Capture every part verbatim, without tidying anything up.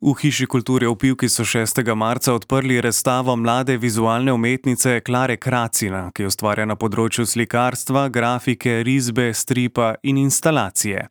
V Hiši kulture v Pivki so šestega marca odprli razstavo mlade vizualne umetnice Klare Kracina, ki ustvarja na področju slikarstva, grafike, risbe, stripa in instalacije.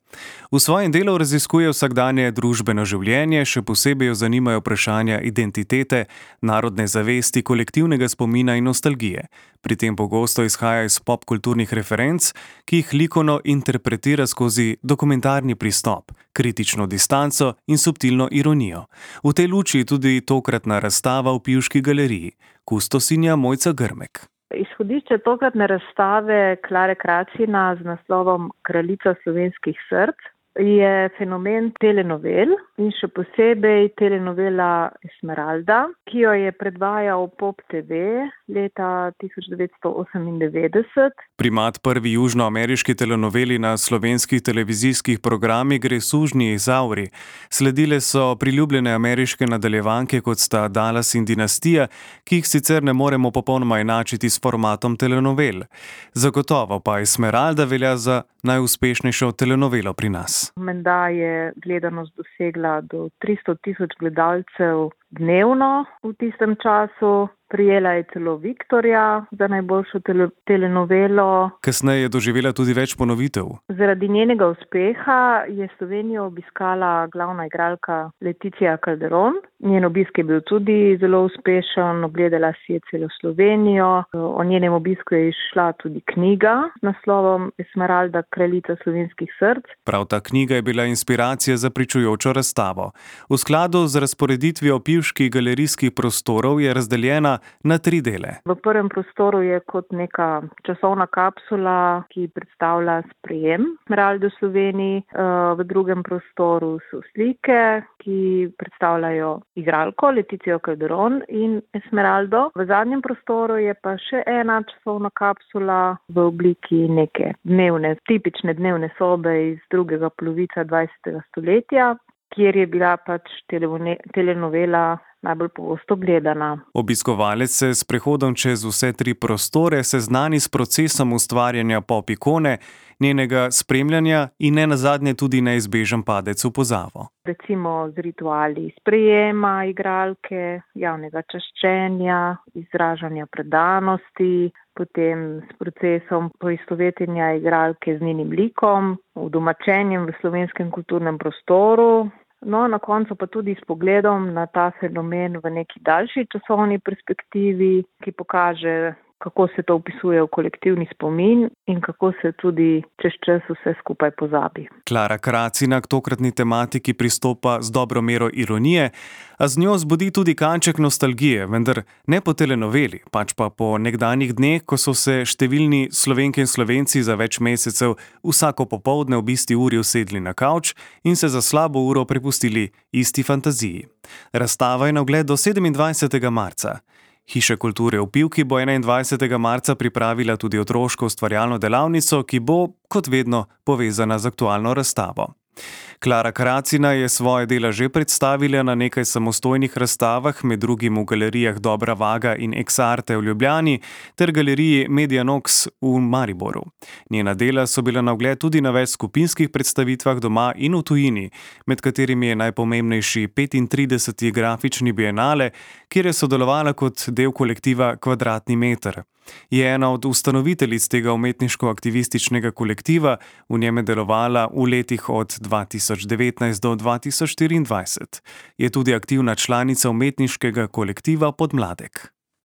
V svojem delu raziskuje vsakdanje družbeno življenje, še posebej jo zanimajo vprašanja identitete, narodne zavesti, kolektivnega spomina in nostalgije. Pri tem pogosto izhaja iz popkulturnih referenc, ki jih likovno interpretira skozi dokumentarni pristop, kritično distanco in subtilno ironijo. V tej luči tudi tokratna razstava v Pivški galeriji. Kustosinja Mojca Grmek. Izhodišče tokratne razstave Klare Kracina z naslovom Kraljica slovenskih src je fenomen telenovel in še posebej telenovela Esmeralda, ki jo je predvajal Pop te ve leta tisoč devetsto osemindevetdeset. Primat prvi južnoameriški telenoveli na slovenskih televizijskih programih gre sužnji Izauri. Sledile so priljubljene ameriške nadaljevanke, kot sta Dallas in Dinastija, ki jih sicer ne moremo popolnoma enačiti s formatom telenovel. Zagotovo pa Esmeralda velja za najuspešnejšo telenovelo pri nas. Menda je gledanost dosegla do tristo tisoč gledalcev dnevno v tistem času. Prijela je celo Viktorja za najboljšo tele- telenovelo. Kasneje je doživela tudi več ponovitev. Zaradi njenega uspeha je Slovenijo obiskala glavna igralka Leticia Calderón. Njen obisk je bil tudi zelo uspešen, ogledala si je celo Slovenijo. O njenem obisku je izšla tudi knjiga z naslovom Esmeralda, kraljica slovenskih src. Prav ta knjiga je bila inspiracija za pričujočo razstavo. V skladu z razporeditvijo pivških galerijskih prostorov je razdeljena na tri dele. V prvem prostoru je kot neka časovna kapsula, ki predstavlja sprejem Esmeralde v Sloveniji. V drugem prostoru so slike, ki predstavljajo igralko Leticijo Calderón in Esmeraldo. V zadnjem prostoru je pa še ena časovna kapsula v obliki neke dnevne, tipične dnevne sobe iz drugega polovica dvajsetega stoletja, kjer je bila pač telenovela najbolj pogosto gledana. Obiskovalec se s prehodom čez vse tri prostore seznani s procesom ustvarjanja pop ikone, njenega spremljanja in ne nazadnje tudi neizbežen padec v pozabo. Recimo z rituali sprejema igralke, javnega čaščenja, izražanja predanosti, potem s procesom poistovetenja igralke z njenim likom, udomačenjem v slovenskem kulturnem prostoru. No, na koncu pa tudi s pogledom na ta fenomen v neki daljši časovni perspektivi, ki pokaže, kako se to vpisuje v kolektivni spomin in kako se tudi čez čas vse skupaj pozabi. Klara Kracina k tokratni tematiki pristopa z dobro mero ironije, a z njo zbudi tudi kanček nostalgije, vendar ne po telenoveli, pač pa po nekdanjih dneh, ko so se številni Slovenke in Slovenci za več mesecev vsako popoldne ob isti uri usedli na kavč in se za slabo uro prepustili isti fantaziji. Razstava je na ogled do sedemindvajsetega marca. Hiša kulture v Pivki bo enaindvajsetega marca pripravila tudi otroško ustvarjalno delavnico, ki bo, kot vedno, povezana z aktualno razstavo. Klara Kracina je svoje dela že predstavila na nekaj samostojnih razstavah, med drugim v galerijah Dobra Vaga in Ex Arte v Ljubljani ter galeriji Medianox v Mariboru. Njena dela so bila na ogled tudi na več skupinskih predstavitvah doma in v tujini, med katerimi je najpomembnejši petintrideseti grafični bienale, kjer je sodelovala kot del kolektiva Kvadratni meter. Je ena od ustanoviteljic tega umetniško-aktivističnega kolektiva, v njem je delovala v letih od dva tisoč devetnajst do dva tisoč štiriindvajset. Je tudi aktivna članica umetniškega kolektiva Podmladek.